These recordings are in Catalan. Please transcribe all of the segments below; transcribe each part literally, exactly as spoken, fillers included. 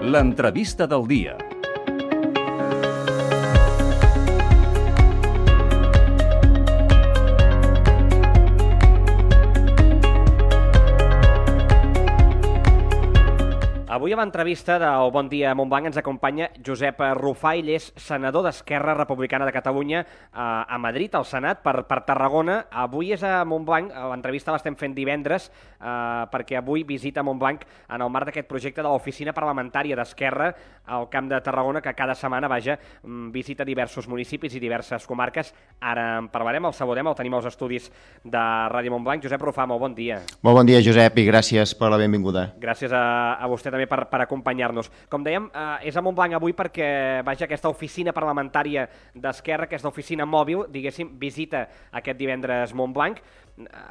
L'entrevista del dia. Avui a l'entrevista del Bon Dia Montblanc ens acompanya Josep Rufà, ell és senador d'Esquerra Republicana de Catalunya a, a Madrid, al Senat, per, per Tarragona. Avui és a Montblanc, l'entrevista l'estem fent divendres, eh, perquè avui visita Montblanc en el marc d'aquest projecte de l'oficina parlamentària d'Esquerra al Camp de Tarragona, que cada setmana, vaja, visita diversos municipis i diverses comarques. Ara en parlarem, el saludem, el tenim als estudis de Ràdio Montblanc. Josep Rufà, molt bon dia. Molt bon dia, Josep, i gràcies per la benvinguda. Gràcies a, a vostè també per, per acompanyar-nos. Com dèiem, eh, és a Montblanc avui perquè, vaja, aquesta oficina parlamentària d'Esquerra, aquesta oficina mòbil, diguéssim, visita aquest divendres Montblanc.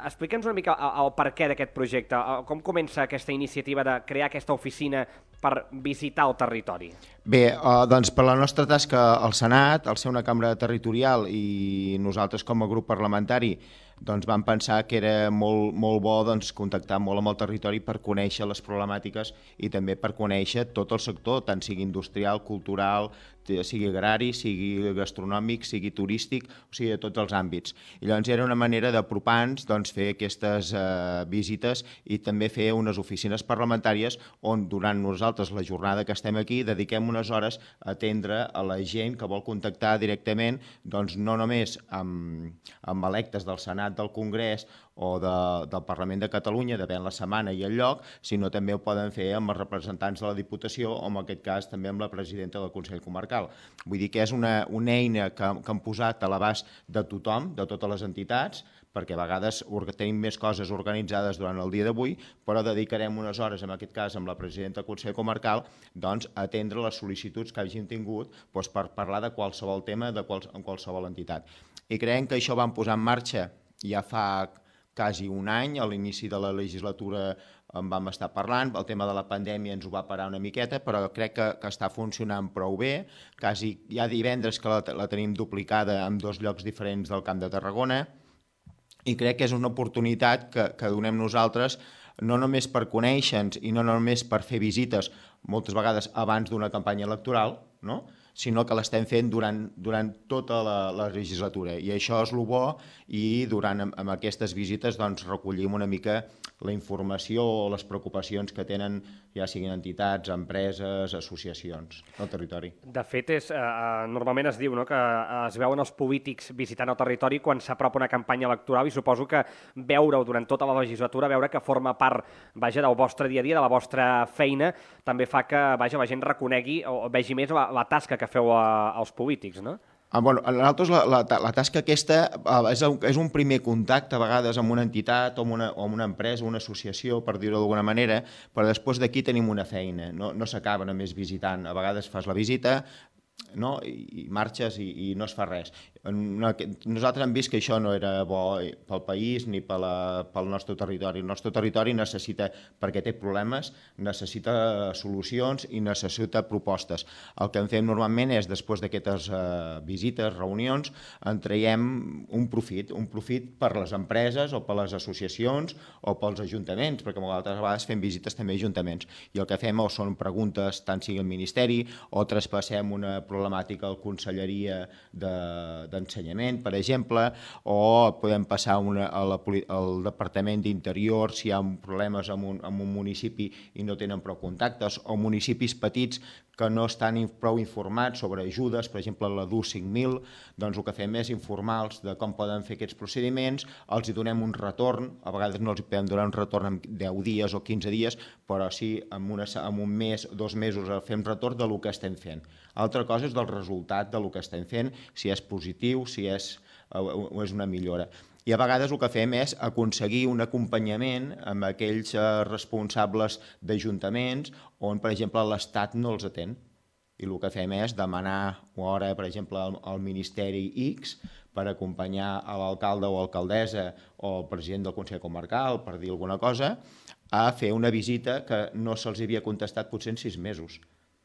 Explica'ns una mica el, el per què d'aquest projecte, com comença aquesta iniciativa de crear aquesta oficina per visitar el territori? Bé, eh, doncs per la nostra tasca al Senat, al ser una cambra territorial i nosaltres com a grup parlamentari doncs vam pensar que era molt, molt bo doncs, contactar molt amb el territori per conèixer les problemàtiques i també per conèixer tot el sector, tant sigui industrial, cultural, sigui agrari, sigui gastronòmic, sigui turístic, o sigui, de tots els àmbits. I llavors era una manera d'apropar-nos, doncs, fer aquestes eh, visites i també fer unes oficines parlamentàries on durant nosaltres la jornada que estem aquí dediquem unes hores a atendre a la gent que vol contactar directament, doncs no només amb, amb electes del Senat, del Congrés o de, del Parlament de Catalunya, depèn la setmana i el lloc, sinó també ho poden fer amb els representants de la Diputació o en aquest cas també amb la presidenta del Consell Comarcal. Vull dir que és una, una eina que, que han posat a l'abast de tothom, de totes les entitats, perquè a vegades tenim més coses organitzades durant el dia d'avui, però dedicarem unes hores, en aquest cas amb la presidenta del Consell Comarcal, doncs, a atendre les sol·licituds que hagin tingut doncs, per parlar de qualsevol tema de quals, en qualsevol entitat. I creiem que això vam posar en marxa ja fa quasi un any, a l'inici de la legislatura en vam estar parlant, el tema de la pandèmia ens ho va parar una miqueta, però crec que, que està funcionant prou bé. Quasi hi ha divendres que la, la tenim duplicada en dos llocs diferents del Camp de Tarragona i crec que és una oportunitat que, que donem nosaltres no només per conèixer-nos i no només per fer visites, moltes vegades abans d'una campanya electoral, no? Sinó que l'estem fent durant, durant tota la, la legislatura. I això és el bo i durant amb aquestes visites doncs, recollim una mica la informació o les preocupacions que tenen ja siguin entitats, empreses, associacions del territori. De fet, és, eh, normalment es diu, no?, que es veuen els polítics visitant el territori quan s'apropa una campanya electoral i suposo que veure-ho durant tota la legislatura, veure que forma part, vaja, del vostre dia a dia, de la vostra feina, també fa que, vaja, la gent reconegui o vegi més la, la tasca que feu a, als polítics, no? Ah, bueno, a nosaltres la, la, la tasca aquesta és, és un primer contacte a vegades amb una entitat o amb una, o amb una empresa o una associació, per dir-ho d'alguna manera, però després d'aquí tenim una feina, no, no s'acaba només visitant, a vegades fas la visita, no? I, i marxes i, i no es fa res. No, nosaltres hem vist que això no era bo pel país ni pel, pel nostre territori. El nostre territori necessita, perquè té problemes, necessita solucions i necessita propostes. El que en fem normalment és, després d'aquestes uh, visites, reunions, en traiem un profit, un profit per les empreses o per les associacions o pels ajuntaments, perquè moltes vegades fem visites també a ajuntaments. I el que fem o són preguntes, tant sigui al Ministeri, o traspassem una problemàtica a la Conselleria de, d'Ensenyament, per exemple, o podem passar una, a la, al Departament d'Interior si hi ha problemes en un, en un municipi i no tenen prou contactes, o municipis petits que no estan prou informats sobre ajudes, per exemple la D U cinc mil, doncs el que fem és informar-los de com poden fer aquests procediments, els hi donem un retorn, a vegades no els podem donar un retorn en deu dies o quinze dies, però sí en, una, en un mes, dos mesos fem retorn del que estem fent. Altra cosa és del resultat del que estem fent, si és positiu, si és, o és una millora. I a vegades el que fem és aconseguir un acompanyament amb aquells responsables d'ajuntaments on, per exemple, l'Estat no els atén. I el que fem és demanar una hora, per exemple, al Ministeri X per acompanyar a l'alcalde o alcaldessa o el president del Consell Comarcal, per dir alguna cosa, a fer una visita que no se'ls havia contestat potser en sis mesos.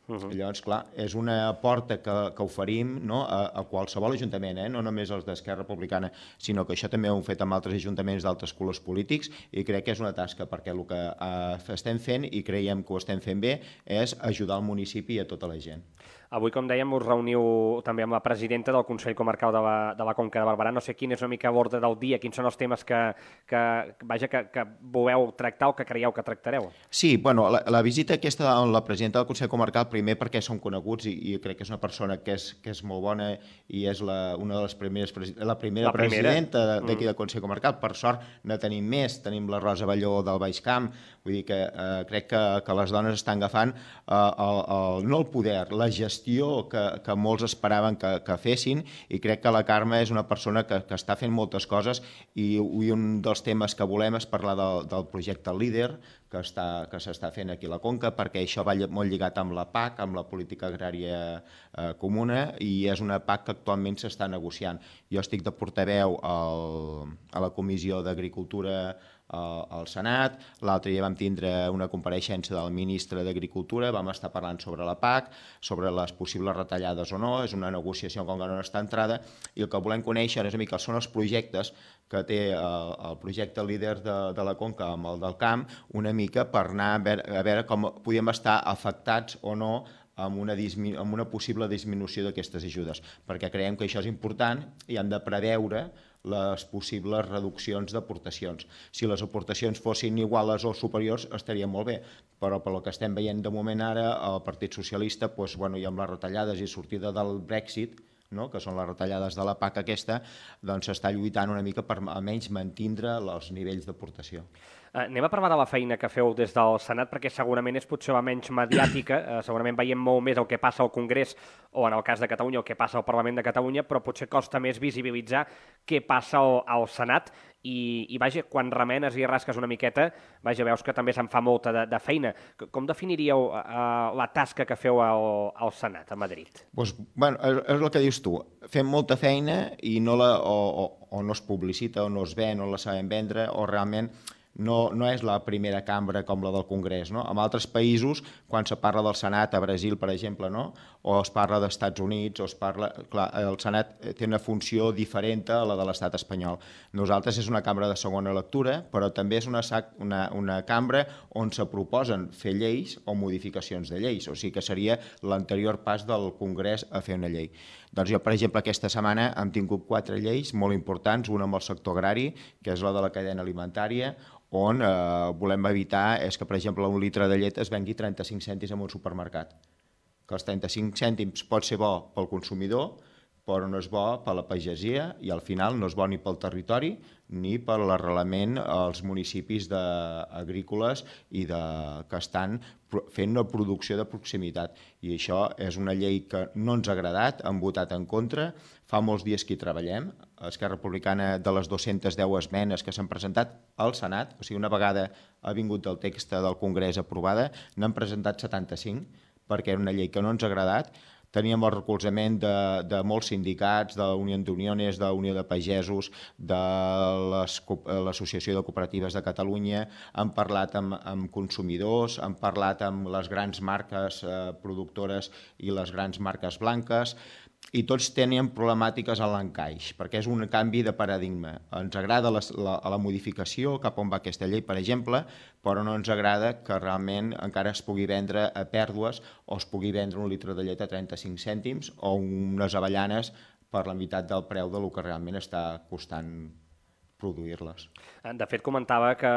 Uh-huh. Llavors, clar, és una porta que, que oferim, no, a, a qualsevol ajuntament, eh? No només els d'Esquerra Republicana, sinó que això també ho hem fet amb altres ajuntaments d'altres colors polítics, i crec que és una tasca, perquè el que eh, estem fent, i creiem que ho estem fent bé, és ajudar el municipi i a tota la gent. Avui, com dèiem, us reuniu també amb la presidenta del Consell Comarcal de la, de la Conca de Barberà. No sé quin és una mica a l'ordre del dia, quins són els temes que, que, vaja, que, que voleu tractar o que creieu que tractareu. Sí, bueno, la, la visita aquesta amb la presidenta del Consell Comarcal, primer perquè són coneguts i, i crec que és una persona que és, que és molt bona i és la, una de les primeres, la primera, la primera. presidenta d'aquí del Consell Comarcal. Per sort ne tenim més, tenim la Rosa Balló del Baix Camp, vull dir que eh, crec que, que les dones estan agafant eh, el, el, no el poder, la gestió que, que molts esperaven que, que fessin, i crec que la Carme és una persona que, que està fent moltes coses, i, i un dels temes que volem és parlar del, del projecte Líder que està, que s'està fent aquí a la Conca, perquè això va molt lligat amb la P A C, amb la política agrària eh, comuna, i és una P A C que actualment s'està negociant. Jo estic de portaveu al, a la Comissió d'Agricultura al Senat. L'altre dia vam tindre una compareixença del ministre d'Agricultura, vam estar parlant sobre la P A C, sobre les possibles retallades o no, és una negociació com que no està entrada, i el que volem conèixer és una mica són els projectes que té el, el projecte Líder de, de la Conca amb el del camp, una mica per anar a veure, a veure com podíem estar afectats o no amb una, amb una possible disminució d'aquestes ajudes, perquè creiem que això és important i hem de preveure les possibles reduccions d'aportacions. Si les aportacions fossin iguals o superiors estaria molt bé, però pel que estem veient de moment ara, el Partit Socialista, doncs, bueno, i amb les retallades i sortida del Brexit, no? Que són les retallades de la P A C aquesta, doncs s'està lluitant una mica per almenys mantindre els nivells d'aportació. Uh, anem a parlar de la feina que feu des del Senat, perquè segurament és potser la menys mediàtica, uh, segurament veiem molt més el que passa al Congrés, o en el cas de Catalunya, el que passa al Parlament de Catalunya, però potser costa més visibilitzar què passa al, al Senat, i, i vaja, quan remenes i rasques una miqueta, vaja, veus que també se'n fa molta de, de feina. Com definiríeu uh, la tasca que feu al, al Senat, a Madrid? Pues, bueno, és, és el que dius tu. Fem molta feina i no la, o, o, o no es publicita, o no es ven, o la sabem vendre, o realment no, no és la primera cambra com la del Congrés, no? En altres països, quan se parla del Senat, a Brasil, per exemple, no? O es parla dels Estats Units, o es parla... Clar, el Senat té una funció diferent a la de l'Estat espanyol. Nosaltres és una cambra de segona lectura, però també és una, una, una cambra on se proposen fer lleis o modificacions de lleis, o sigui que seria l'anterior pas del Congrés a fer una llei. Doncs jo, per exemple, aquesta setmana hem tingut quatre lleis molt importants, una amb el sector agrari, que és la de la cadena alimentària, on eh, volem evitar és que, per exemple, un litre de llet es vengui trenta-cinc cèntims en un supermercat. Que els trenta-cinc cèntims pot ser bo pel consumidor, però no és bo per la pagesia i al final no és bo ni pel territori ni per l'arrelament als municipis de, agrícoles i de, que estan fent una producció de proximitat. I això és una llei que no ens ha agradat, hem votat en contra, fa molts dies que hi treballem. Esquerra Republicana, de les dues-centes deu esmenes que s'han presentat al Senat, o sigui, una vegada ha vingut el text del Congrés aprovada, n'han presentat setanta-cinc, perquè era una llei que no ens ha agradat. Teníem el recolzament de, de molts sindicats, de la Unió d'Uniones, de la Unió de Pagesos, de l'Associació de Cooperatives de Catalunya, hem parlat amb, amb consumidors, hem parlat amb les grans marques eh, productores i les grans marques blanques, i tots tenien problemàtiques a l'encaix, perquè és un canvi de paradigma. Ens agrada la, la, la modificació, cap on va aquesta llei, per exemple, però no ens agrada que realment encara es pugui vendre a pèrdues o es pugui vendre un litre de llet a trenta-cinc cèntims o unes avellanes per la meitat del preu del que realment està costant produir-les. De fet, comentava que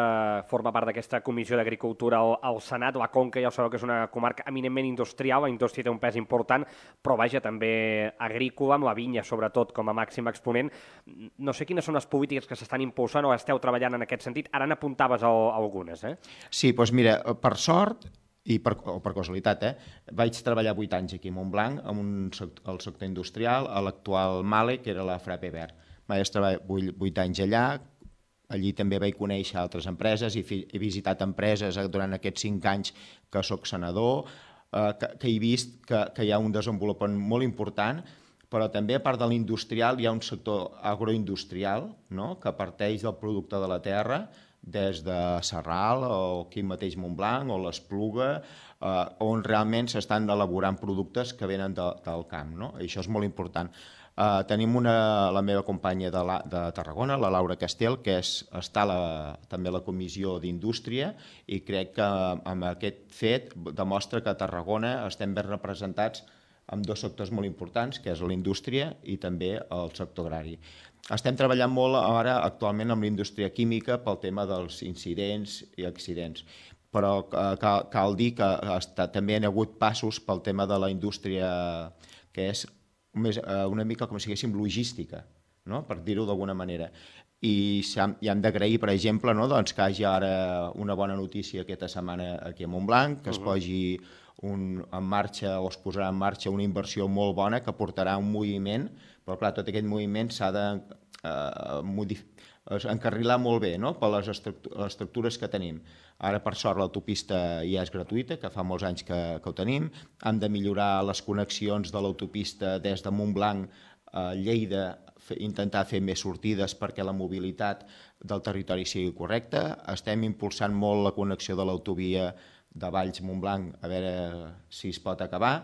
forma part d'aquesta Comissió d'Agricultura al, al Senat. La Conca ja sabeu que és una comarca eminentment industrial, la indústria té un pes important, però vaja, també agrícola, amb la vinya sobretot com a màxim exponent. No sé quines són les polítiques que s'estan impulsant o esteu treballant en aquest sentit. Ara n'apuntaves a, a algunes, eh? Sí, doncs mira, per sort, i per, o per casualitat, eh? Vaig treballar vuit anys aquí a Montblanc, amb un sector, el sector industrial, a l'actual Male, que era la Frappé Vert. Vaig treballar vuit anys allà, allí també vaig conèixer altres empreses i he visitat empreses durant aquests cinc anys que sóc senador, eh, que, que he vist que, que hi ha un desenvolupament molt important, però també a part de l'industrial hi ha un sector agroindustrial, no?, que parteix del producte de la terra, des de Sarral o aquí mateix Montblanc o l'Espluga, eh, on realment s'estan elaborant productes que venen de, del camp, no? I això és molt important. Eh, tenim una, la meva companya de, la, de Tarragona, la Laura Castel, que és, està a la, també a la Comissió d'Indústria, i crec que amb aquest fet demostra que a Tarragona estem ben representats amb dos sectors molt importants, que és la indústria i també el sector agrari. Estem treballant molt ara actualment amb la indústria química pel tema dels incidents i accidents, però cal, cal dir que està, també hi ha hagut passos pel tema de la indústria que és més, una mica com si diguéssim logística, no? Per dir-ho d'alguna manera. I, i hem d'agrair, per exemple, no? doncs que hi hagi ara una bona notícia aquesta setmana aquí a Montblanc, que es posi un, en marxa o es posarà en marxa una inversió molt bona que portarà un moviment, però clar, tot aquest moviment s'ha de eh, modificar, encarrilar molt bé, no? Per les estructures que tenim. Ara, per sort, l'autopista ja és gratuïta, que fa molts anys que, que ho tenim. Hem de millorar les connexions de l'autopista des de Montblanc a Lleida, intentar fer més sortides perquè la mobilitat del territori sigui correcta. Estem impulsant molt la connexió de l'autovia de Valls-Montblanc, a veure si es pot acabar.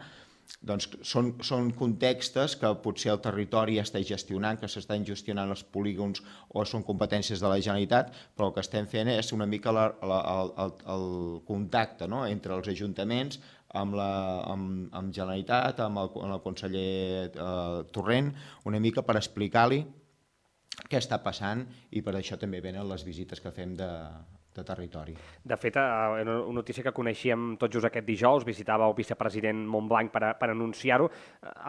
Doncs són, són contextos que potser el territori està gestionant, que s'estan gestionant els polígons o són competències de la Generalitat, però el que estem fent és una mica la, la, el, el contacte, no? Entre els ajuntaments, amb la amb, amb Generalitat, amb el, amb el conseller eh, Torrent, una mica per explicar-li què està passant, i per això també venen les visites que fem de, de territori. De fet, una notícia que coneixíem tot just aquest dijous, visitava el vicepresident Montblanc per, a, per anunciar-ho.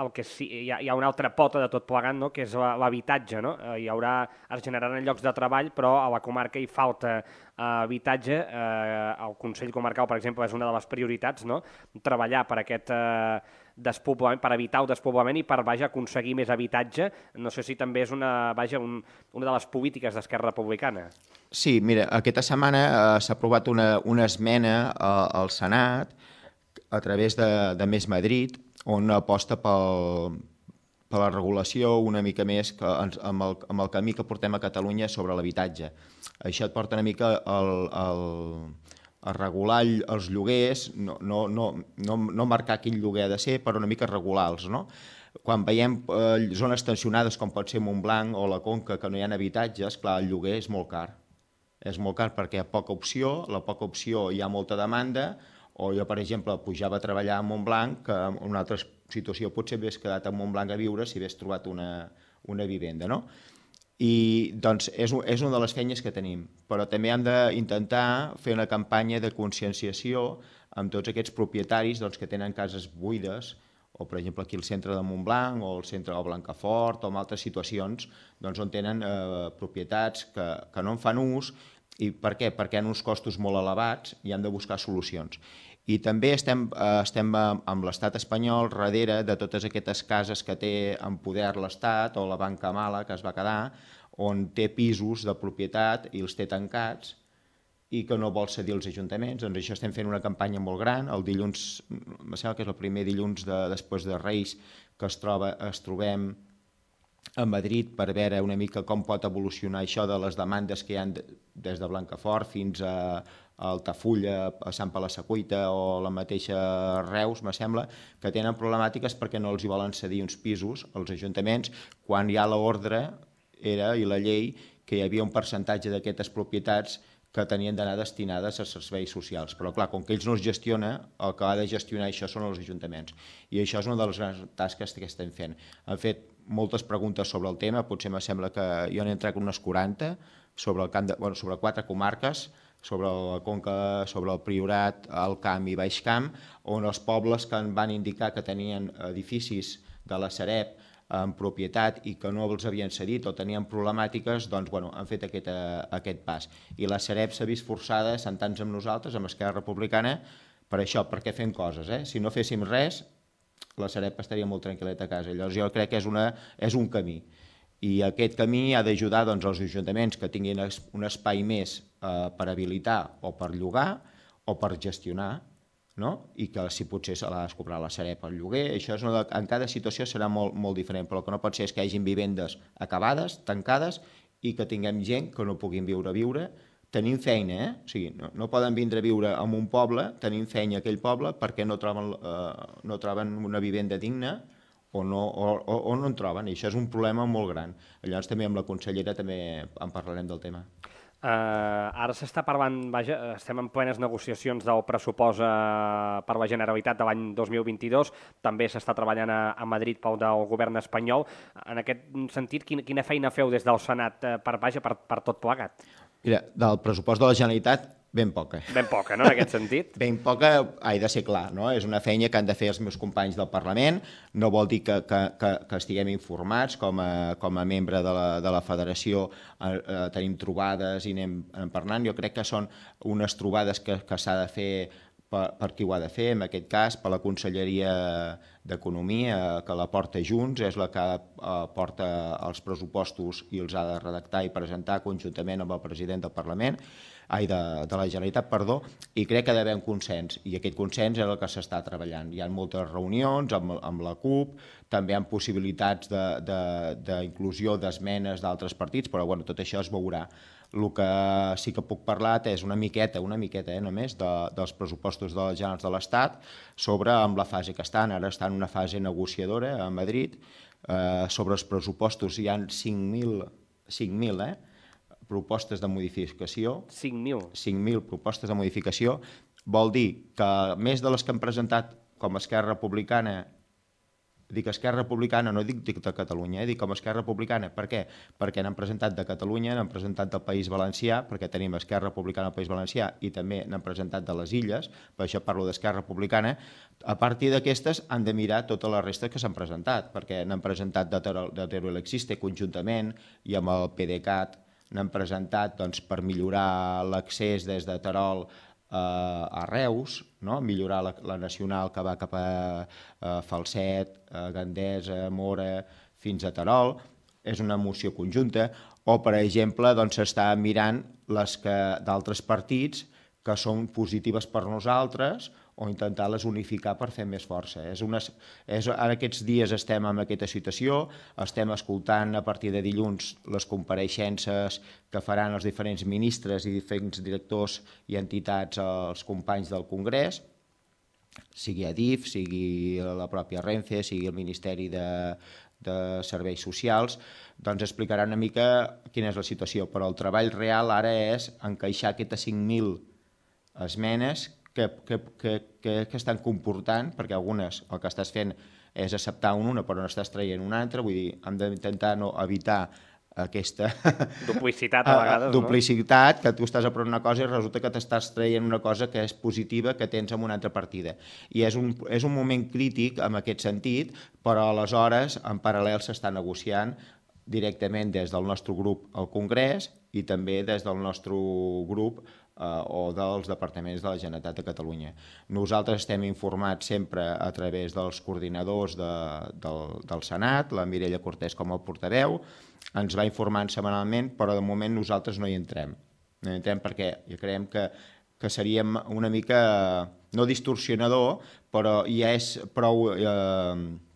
El que sí, hi ha, hi ha una altra pota de tot plegant, no? Que és l'habitatge, no? Hi haurà, es generaran llocs de treball, però a la comarca hi falta eh, habitatge. Eh, el Consell Comarcal, per exemple, és una de les prioritats, no? Treballar per aquest eh, despoblament, per evitar el despoblament i per, vaja, aconseguir més habitatge. No sé si també és una, vaja, un, una de les polítiques d'Esquerra Republicana. Sí, mira, aquesta setmana eh, s'ha aprovat una, una esmena eh, al Senat a través de, de Més Madrid, on aposta pel, per la regulació una mica més que, amb, el, amb el camí que portem a Catalunya sobre l'habitatge. Això et porta una mica el, el, a regular els lloguers, no, no, no, no, no marcar quin lloguer ha de ser, però una mica regular-los, no? Quan veiem eh, zones tensionades com pot ser Montblanc o la Conca, que no hi ha habitatges, clar, el lloguer és molt car. És molt car perquè hi ha poca opció, la poca opció hi ha molta demanda, o jo, per exemple, pujava a treballar a Montblanc, que en una altra situació potser hagués quedat a Montblanc a viure si hagués trobat una, una vivenda, no? I doncs és, és una de les feines que tenim, però també hem d'intentar fer una campanya de conscienciació amb tots aquests propietaris doncs, que tenen cases buides, o per exemple aquí al centre de Montblanc, o al centre de Blancafort, o en altres situacions doncs, on tenen eh, propietats que, que no en fan ús. I per què? Perquè hi ha uns costos molt elevats i han de buscar solucions. I també estem, eh, estem amb l'estat espanyol darrere de totes aquestes cases que té en poder l'estat o la banca mala que es va quedar, on té pisos de propietat i els té tancats i que no vol cedir als ajuntaments. Doncs això estem fent una campanya molt gran. El dilluns, em sembla que és el primer dilluns de, després de Reis que es, troba, es trobem a Madrid per veure una mica com pot evolucionar això de les demandes que hi ha des de Blancafort fins a Altafulla, a Sant Palasecuita o la mateixa Reus, me sembla, que tenen problemàtiques perquè no els hi volen cedir uns pisos als ajuntaments quan hi ha l'ordre era i la llei que hi havia un percentatge d'aquestes propietats que tenien d'anar destinades a serveis socials. Però clar, com que ells no es gestiona, el que ha de gestionar això són els ajuntaments. I això és una de les grans tasques que estem fent. Han fet moltes preguntes sobre el tema, potser me sembla que jo n'he entrat unes quaranta, sobre, el camp de, bueno, sobre quatre comarques, sobre la Conca, sobre el Priorat, el Camp i Baix Camp, on els pobles que van indicar que tenien edificis de la Sareb en propietat i que no els havien cedit o tenien problemàtiques, doncs bueno, han fet aquest, aquest pas. I la Sareb s'ha vist forçada, sentant-se amb nosaltres, amb Esquerra Republicana, per això, perquè fem coses. Eh? Si no féssim res, la Sareb estaria molt tranquil·leta a casa. Llavors jo crec que és, una, és un camí. I aquest camí ha d'ajudar doncs, els ajuntaments que tinguin un espai més eh, per habilitar o per llogar o per gestionar, no? I que si potser se l'ha de cobrar la Sareb al lloguer. Això és una de... En cada situació serà molt, molt diferent, però el que no pot ser és que hi hagi vivendes acabades, tancades, i que tinguem gent que no puguin viure a viure tenim feina, eh? O sigui, no, no poden vindre a viure en un poble, tenim feina a aquell poble perquè no troben, eh, no troben una vivenda digna o no, o, o, o no en troben, i això és un problema molt gran. Llavors també amb la consellera també en parlarem del tema. Uh, ara s'està parlant, vaja, estem en plenes negociacions del pressupost uh, per la Generalitat de l'any dos mil vint-i-dos, també s'està treballant a, a Madrid pel del govern espanyol. En aquest sentit, quina, quina feina feu des del Senat uh, per, vaja, per, per tot plegat? Mira, del pressupost de la Generalitat, ben poca. Ben poca, no?, en aquest sentit. Ben poca, ha de ser clar, no? És una feina que han de fer els meus companys del Parlament, no vol dir que, que, que, que estiguem informats com a, com a membre de la, de la federació, eh, eh, tenim trobades i anem, anem parlant. Jo crec que són unes trobades que, que s'ha de fer per, per qui ho ha de fer, en aquest cas per la Conselleria d'Economia, que la porta Junts, és la que eh, porta els pressupostos i els ha de redactar i presentar conjuntament amb el president del Parlament, ai, de, de la Generalitat, perdó, i crec que ha d'haver un consens, i aquest consens és el que s'està treballant. Hi ha moltes reunions amb, amb la CUP, també hi ha possibilitats d'inclusió de, de, d'esmenes d'altres partits, però bueno, tot això es veurà. El que sí que puc parlar és una miqueta, una miqueta eh, només, de, dels pressupostos de les Generals de l'Estat sobre amb la fase que estan. Ara estan en una fase negociadora a Madrid. Eh, sobre els pressupostos hi ha cinc mil, cinc mil, eh? propostes de modificació. cinc mil. cinc mil propostes de modificació. Vol dir que més de les que han presentat com a Esquerra Republicana, dic Esquerra Republicana, no dic de Catalunya, eh? dic com a Esquerra Republicana. Per què? Perquè n'han presentat de Catalunya, n'han presentat del País Valencià, perquè tenim Esquerra Republicana al País Valencià, i també n'han presentat de les Illes, per això parlo d'Esquerra Republicana. A partir d'aquestes han de mirar tota la resta que s'han presentat, perquè n'han presentat de Teruel Existe conjuntament i amb el PDeCAT n'han presentat doncs, per millorar l'accés des de Terol eh, a Reus, no? Millorar la, la nacional que va cap a eh, Falset, eh, Gandesa, Mora, fins a Terol. És una moció conjunta. O, per exemple, doncs, s'està mirant les que d'altres partits que són positives per nosaltres o intentar-les unificar per fer més força. És una, és, ara aquests dies estem en aquesta situació, estem escoltant a partir de dilluns les compareixences que faran els diferents ministres i diferents directors i entitats als companys del Congrés, sigui Adif, sigui la pròpia Renfe, sigui el Ministeri de, de Serveis Socials, doncs explicaran una mica quina és la situació. Però el treball real ara és encaixar aquestes cinc mil esmenes que, que, que, que, que estan comportant, perquè algunes el que estàs fent és acceptar una però no estàs traient una altra, vull dir, hem d'intentar no evitar aquesta duplicitat a vegades, duplicitat, no? Que tu estàs aprovant una cosa i resulta que t'estàs traient una cosa que és positiva que tens en una altra partida. I és un, és un moment crític en aquest sentit, però aleshores en paral·lel s'està negociant directament des del nostre grup al Congrés i també des del nostre grup eh, o dels departaments de la Generalitat de Catalunya. Nosaltres estem informats sempre a través dels coordinadors de, del, del Senat, la Mireia Cortés com a portaveu, ens va informant setmanalment, però de moment nosaltres no hi entrem. No hi entrem perquè ja creiem que, que seríem una mica, no distorsionador, però ja és prou... Eh,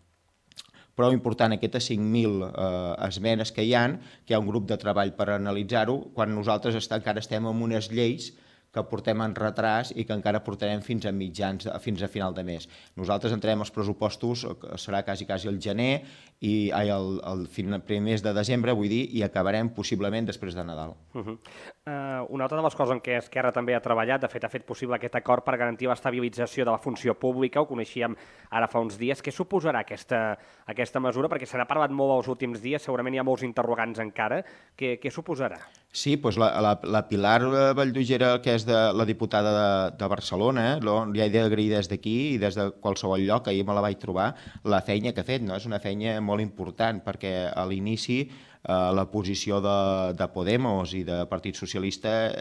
prou important aquestes cinc mil eh, esmenes que hi ha, que hi ha un grup de treball per analitzar-ho, quan nosaltres està, encara estem en unes lleis que portem en retras i que encara portarem fins a mitjans, fins a final de mes. Nosaltres entrem els pressupostos, serà quasi, quasi el gener, i ai, el, el primer mes de desembre, vull dir, i acabarem possiblement després de Nadal. Uh -huh. uh, una altra de les coses en què Esquerra també ha treballat, de fet ha fet possible aquest acord per garantir l'estabilització de la funció pública, ho coneixíem ara fa uns dies. Què suposarà aquesta, aquesta mesura? Perquè se n'ha parlat molt els últims dies, segurament hi ha molts interrogants encara. Què, què suposarà? Sí, doncs la, la, la Pilar Valldugera, que és de, la diputada de, de Barcelona, lo, li he d'agrair des d'aquí i des de qualsevol lloc, ahir me la vaig trobar, la feina que ha fet, no? És una feina molt important, perquè a l'inici eh, la posició de, de Podemos i de Partit Socialista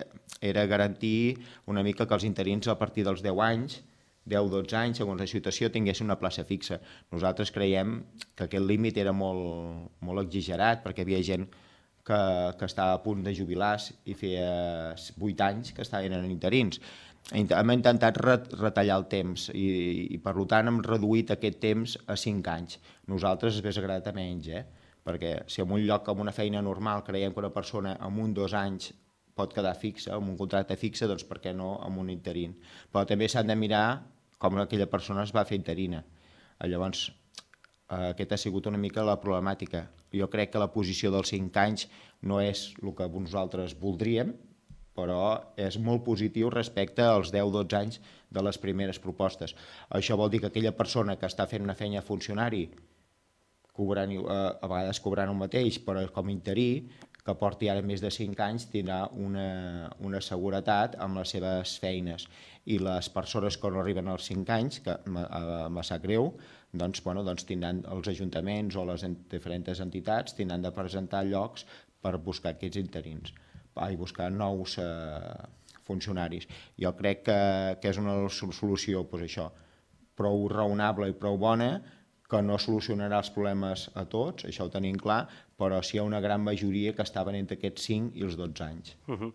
era garantir una mica que els interins a partir dels deu anys, deu dotze anys, segons la situació, tinguessin una plaça fixa. Nosaltres creiem que aquest límit era molt, molt exagerat, perquè hi havia gent que, que estava a punt de jubilar i feia vuit anys que estaven en interins. Hem intentat retallar el temps i, i per tant hem reduït aquest temps a cinc anys. Nosaltres ens hauria agradat a menys, eh? Perquè si en un lloc amb una feina normal creiem que una persona en un dos anys pot quedar fixa, amb un contracte fixe, doncs per què no amb un interín. Però també s'han de mirar com aquella persona es va fer interina. Llavors, aquesta ha sigut una mica la problemàtica. Jo crec que la posició dels cinc anys no és el que nosaltres voldríem, però és molt positiu respecte als deu o dotze anys de les primeres propostes. Això vol dir que aquella persona que està fent una feina de funcionari, cobrant, a vegades cobrant el mateix, però com interí, que porti ara més de cinc anys, tindrà una, una seguretat amb les seves feines. I les persones que no arriben als cinc anys, que me sap greu, doncs, bueno, doncs tindran els ajuntaments o les diferents entitats tindran de presentar llocs per buscar aquests interins, i buscar nous eh, funcionaris. Jo crec que, que és una solució, doncs això, prou raonable i prou bona, que no solucionarà els problemes a tots, això ho tenim clar, però sí hi ha una gran majoria que estaven entre aquests cinc i els dotze anys. Uh -huh.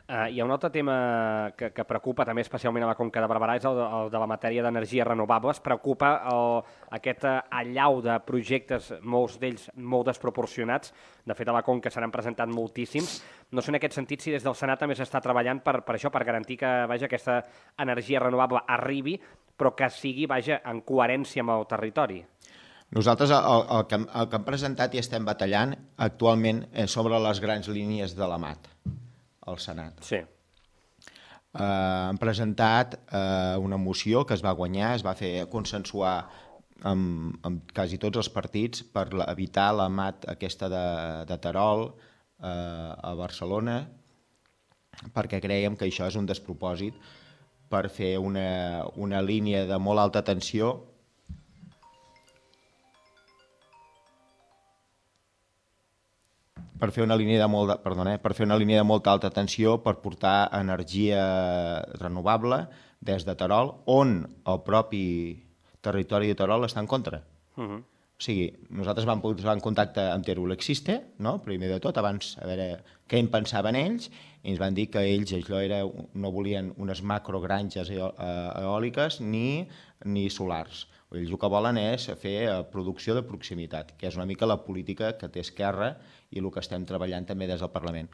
Uh, hi ha un altre tema que, que preocupa també especialment a la Conca de Barberà, és el de, el de la matèria d'energies renovables. Preocupa el, aquest allau de projectes, molts d'ells molt desproporcionats. De fet, a la Conca se n'han presentat moltíssims. No sé en aquest sentit si des del Senat també s'està treballant per, per això, per garantir que vaja, aquesta energia renovable arribi, però que sigui vaja, en coherència amb el territori. Nosaltres el, el, que, el que hem presentat i estem batallant actualment és sobre les grans línies de la mat al Senat. Sí. Eh, hem presentat eh, una moció que es va guanyar, es va fer consensuar amb, amb quasi tots els partits per evitar la mat aquesta de, de Terol eh, a Barcelona, perquè creiem que això és un despropòsit per fer una, una línia de molt alta tensió per fer una línia de molt, perdona, eh, per fer una línia de molta alta tensió per portar energia renovable des de Terol, on el propi territori de Terol està en contra. Uh -huh. O sigui, nosaltres vam posar en contacte amb Teruel Existe, no? Primer de tot, abans a veure què en pensaven ells, i ens van dir que ells allò era, no volien unes macrogranges eòliques ni, ni solars. Ells el que volen és fer producció de proximitat, que és una mica la política que té Esquerra i el que estem treballant també des del Parlament.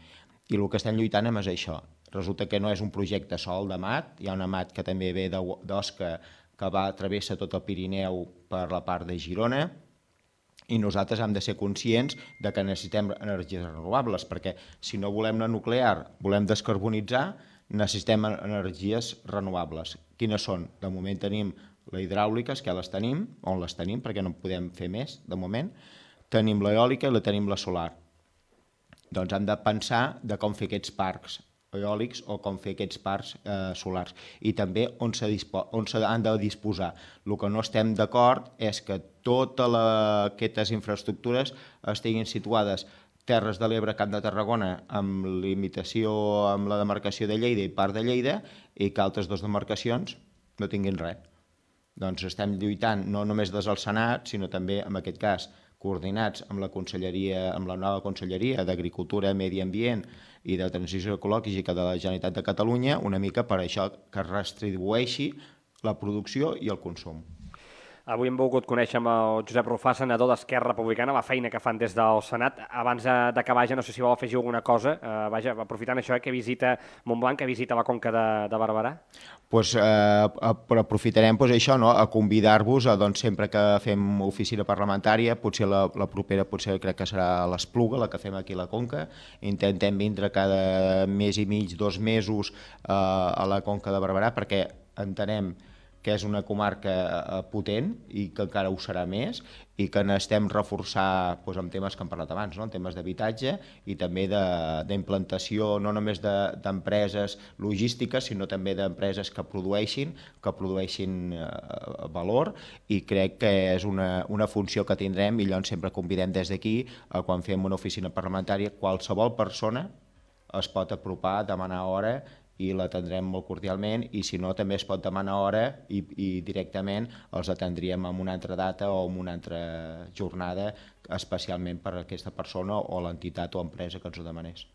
I el que estem lluitant és això. Resulta que no és un projecte sol de mat, hi ha una mat que també ve d'Osca, que va travessa tot el Pirineu per la part de Girona, i nosaltres hem de ser conscients de que necessitem energies renovables, perquè si no volem la nuclear, volem descarbonitzar, necessitem energies renovables. Quines són? De moment tenim la hidràulica, que ja les tenim, on les tenim, perquè no podem fer més, de moment. Tenim l'eòlica i la tenim la solar. Doncs hem de pensar de com fer aquests parcs eòlics o com fer aquests parcs eh, solars. I també on s'han de disposar. El que no estem d'acord és que totes aquestes infraestructures estiguin situades Terres de l'Ebre, Camp de Tarragona, amb limitació amb la demarcació de Lleida i part de Lleida, i que altres dues demarcacions no tinguin res. Doncs estem lluitant no només des del Senat, sinó també, en aquest cas, coordinats amb la conselleria, amb la nova conselleria d'Agricultura, Medi Ambient i de Transició Ecològica de la Generalitat de Catalunya, una mica per això que es redistribueixi la producció i el consum. Avui hem volgut conèixer amb el Josep Rufà, senador d'Esquerra Republicana, la feina que fan des del Senat. Abans d'acabar, ja no sé si vol afegir alguna cosa, eh, vaja, aprofitant això, eh, que visita Montblanc, que visita la Conca de, de Barberà. Pues, eh, però aprofitarem pues, això, no? A convidar-vos a, doncs, sempre que fem oficina parlamentària, potser la, la propera potser crec que serà l'Espluga, la que fem aquí a la Conca. Intentem vindre cada mes i mig, dos mesos eh, a la Conca de Barberà, perquè entenem que és una comarca potent i que encara ho serà més, i que necessitem reforçar doncs, amb temes que hem parlat abans, no? En temes d'habitatge i també d'implantació no només d'empreses logístiques, sinó també d'empreses que produeixin, que produeixin eh, valor, i crec que és una, una funció que tindrem, i llavors sempre convidem des d'aquí, quan fem una oficina parlamentària, qualsevol persona es pot apropar, demanar hora, i l'atendrem molt cordialment, i si no també es pot demanar hora i, i directament els atendríem en una altra data o en una altra jornada especialment per a aquesta persona o l'entitat o empresa que ens ho demanés.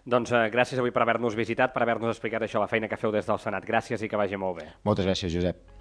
Doncs eh, gràcies avui per haver-nos visitat, per haver-nos explicat això, la feina que feu des del Senat. Gràcies i que vagi molt bé. Moltes gràcies, Josep.